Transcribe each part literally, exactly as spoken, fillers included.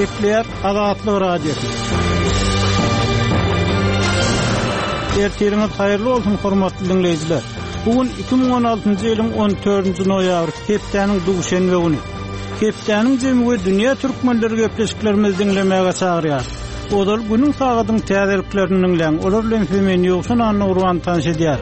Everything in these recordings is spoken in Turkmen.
Gepleýär Azatlyk Radiosy. Ertiriňiz haýyrly bolsun hormatly dinleýjiler. Bugün iki müň on altynjy ýylyň on dördünji noýabr, hepdäniň duşenbe güni. Hepdäniň jemi we dünýä türkmenleri gepleşiklerimizi diňlemäge çagyrýar. Ozal günüň sagadyň täzeliklerini diňläň. Olar bilen sizi men Ýowşan Anna tanyş edýär.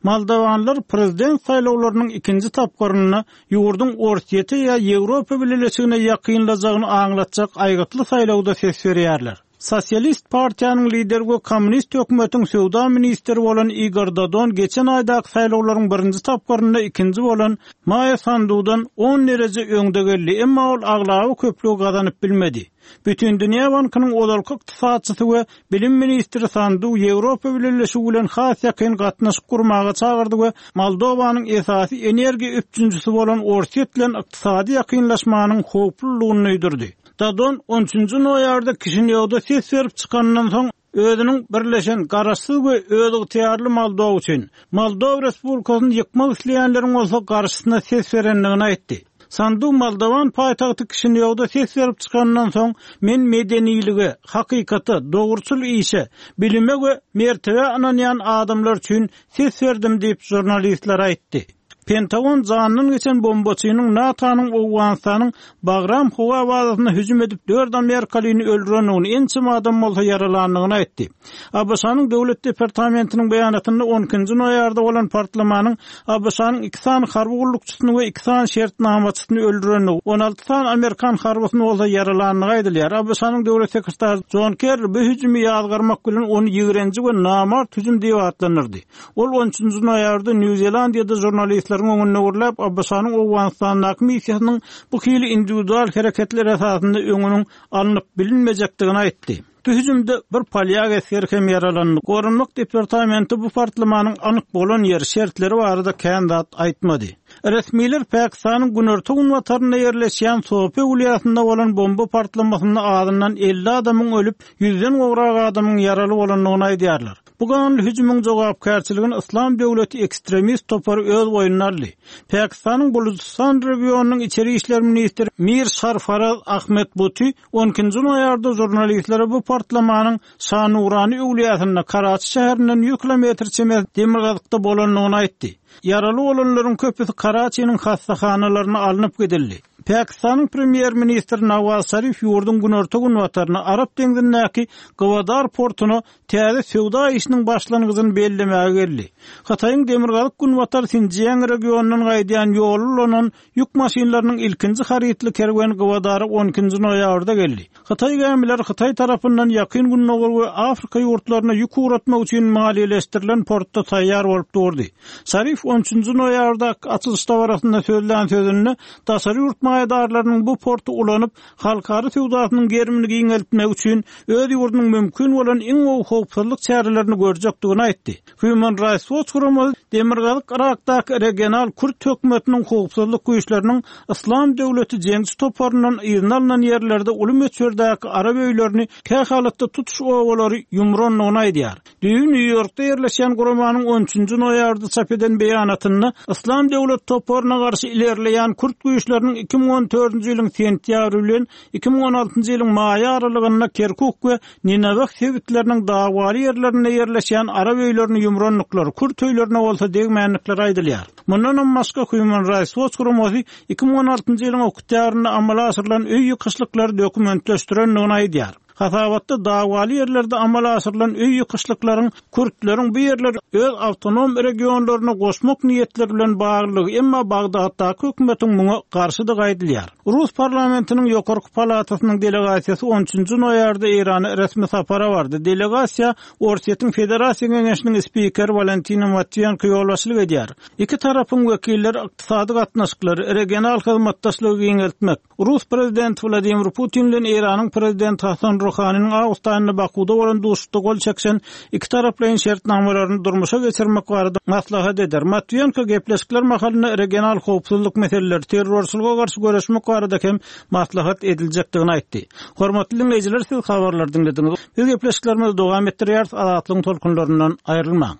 Moldawanlar prezident saýlawlarynyň ikinji tapgyrynda ýurduň Orsýete ýa Ýewropa Bileleşigine ýakynlaşjagyny aňlatjak aýgytly saýlawda ses berýärler. Sosialist partiýanyň lideri we kommunist hökümetiň söwda ministri bolan Igor Dodon geçen aýdaky saýlawlaryň birinji tapgyrynda ikinji bolan Maýa Sandudan on dereje öňde geldi, emma ol aglaby köplügi gazanyp bilmedi. Bütün Dünya Bankynyň ozalky ykdysatçysy we bilim ministri Sandu Ýewropa Bileleşigi bilen has ýakyn gatnaşyk gurmaga çagyrdy we Moldowanyň esasy energiýa üpjünçisi bolan Orsýet bilen ykdysady ýakynlaşmanyň howplulygyny duýdurdy. Dodon on üçünji noýabrda Kişinýowda ses berip çykandan soň özüniň birleşen garaşsyz we özygtyýarly Moldowa üçin Moldowa Respublikasyny ýykmak isleýänleriň bolsa garşysyna ses berendigini aýtdy. Sandu Moldowan paýtagty Kişinýowda ses berip çykandan soň men medenilige, hakykata, dogruçyl işe, bilime we mertebe ynanýan adamlar üçin ses berdim diýip jurnalistler aýtdy. Pentagon janyndan geçen bombaçynyň NATO-nyň Owganystanyň Bagram howa bazasyna hüjüm edip dört Amerikalyny öldürendigini, ençeme adam bolsa ýaralandygyny aýtdy. A B Ş-nyň Döwlet Departamentiniň beýanatynda on ikinji noýabrda bolan partlamanyň A B Ş-nyň iki sany harby gullukçysyny we iki sany şertnamaçysyny öldürendigi, on alty sany Amerikan harbysyny bolsa ýaralandygy aýdylýar. A B Ş-nyň Döwlet sekretary John Kerry bu hüjümi ýazgarmak bilen ony ýigrenji we namart hüjüm diýip atlandyrdy. Ol on üçünji noýabrda New Zelandiýada jurnalistleriň öňünde gürläp, A B Ş-nyň Owganystandaky missiýasynyň bu hili individual hereketler esasynda öňüniň alnyp bilinmejekdigini aýtdy. Bu hüjümde bir polyak esgeri hem ýaralandy. Goranmak departamenti bu partlamanyň anyk bolan ýeri şertleri barada kän zat aýtmady. Resmiler Pakistanyň günorta günbatarynda ýerleşýän Sope welaýatynda bolan bomba partlamasynda azyndan elli adamyň ölüp, ýüzden gowrak adamyň ýaraly bolandygyny aýdýarlar. Bu ganly hüjümiň jogapkärçiligini Islam döwleti ekstremist topary öz boýnuna aldy. Pakistanyň Bulujistan regionynyň içeri işler ministri Mir Sarfaraz Ahmed Buti on ikinji noýabrda jurnalistlere bu partlamanyň Şanurany öwlüýäsinde Karaçi şäherinden ýüz kilometr çemesi demirgazykda bolandygyny aýtdy. Ýaraly bolanlaryň köpüsi Karaçiniň hassahanalaryna alnyp gidildi. Pakistanyň premýer-ministri Nawaz Şarif ýurduň günorta günbataryna Arap deňzindäki Gwadar portuna täze söwda işiniň başlangyjyny bellemäge geldi. Hytaýyň demirgazyk günbatar Sinjiang regionyndan gaýdýan ýoly ulanan ýük maşynlarynyň ilkinji harytly kerweni Gwadara on ikinji noýabrda geldi. Hytaý gämileri Hytaý tarapyndan ýakyn Gündogar we Afrika ýurtlaryna ýük ugratmak üçin maliýeleşdirilen portda taýýar bolup durdy. Şarif on üçünji noýabrda açylyş dabarasynda sözlän sözünde daşary ýurt maýadarlarynyň bu porty ulanyp halkara söwdasynyň gerimini giňeltmek üçin öz ýurdunyň mümkin bolan iň gowy howpsuzlyk çärelerini görjekdigini aýtdy. Human Rights Watch guramasy Demirgazyk Irakdaky regional Kürt hökümetiniň howpsuzlyk güýçleriniň Islam döwleti jeňçi toparyndan yzyna alynan ýerlerde uly möçberdäki arap öýlerini kähalatda tutuş obalary ýumrandygyny aýdýar. Düýn New Yorkda ýerleşen guramanyň on üçünji noýabrda çap eden beýanatynda Islam döwlet toparyna garşy ilerleýän Kürt güýçleriniň iki müň on dördünji ýylyň sentýabry bilen iki müň on altynjy ýylyň maý aralygynda Kerkuk we Nineweh sebitleriniň dawaly ýerlerinde ýerleşen arap öýlerini ýumrandyklary, Kürt öýlerine bolsa degmänlikleri aýdylýar. Mundan hem başga Human Rights Watch guramasy iki müň on altynjy ýylyň oktýabrynda amala aşyrylan öý ýykyşlyklary dokumentleşdirendigini aýdýar. Hasabatda dawaly ýerlerde amala aşyrylan öý ýykyşlyklaryň Kürtleriň bu ýerleri öz awtonom regionlaryna goşmak niýetleri bilen baglylygy, emma Bagdatdaky hökümetiň muňa garşydygy aýdylýar. Rus parlamentiniň ýokarky palatasynyň delegasiýasy on üçünji noýabrda Eýrana resmi sapara bardy. Delegasiýa Orsýetiň Federasiýa Geňeşiniň spikeri Walentina Matwienko ýolbaşçylyk edýär. Iki tarapyň wekilleri ykdysady gatnaşyklary, regional hyzmatdaşlygy giňeltmek, Rus prezidenti Wladimir Putin bilen Eýranyň prezidenti Hasan Ruhaniniň awgust aýynda Bakuda bolan duşuşykda gol çekişen iki taraplaýyn şertnamalaryny durmuşa geçirmek barada maslahat eder. Matwienko gepleşikler mahalynda regional howpsuzlyk meseleleri, terrorçylyga garşy göreşmek barada hem maslahat ediljekdigini aýtdy. Hormatly dinleýjiler, siz habarlary diňlediňiz. Biz gepleşiklerimizi dowam etdirýäris. Azatlygyň tolkunlaryndan aýrylmaň.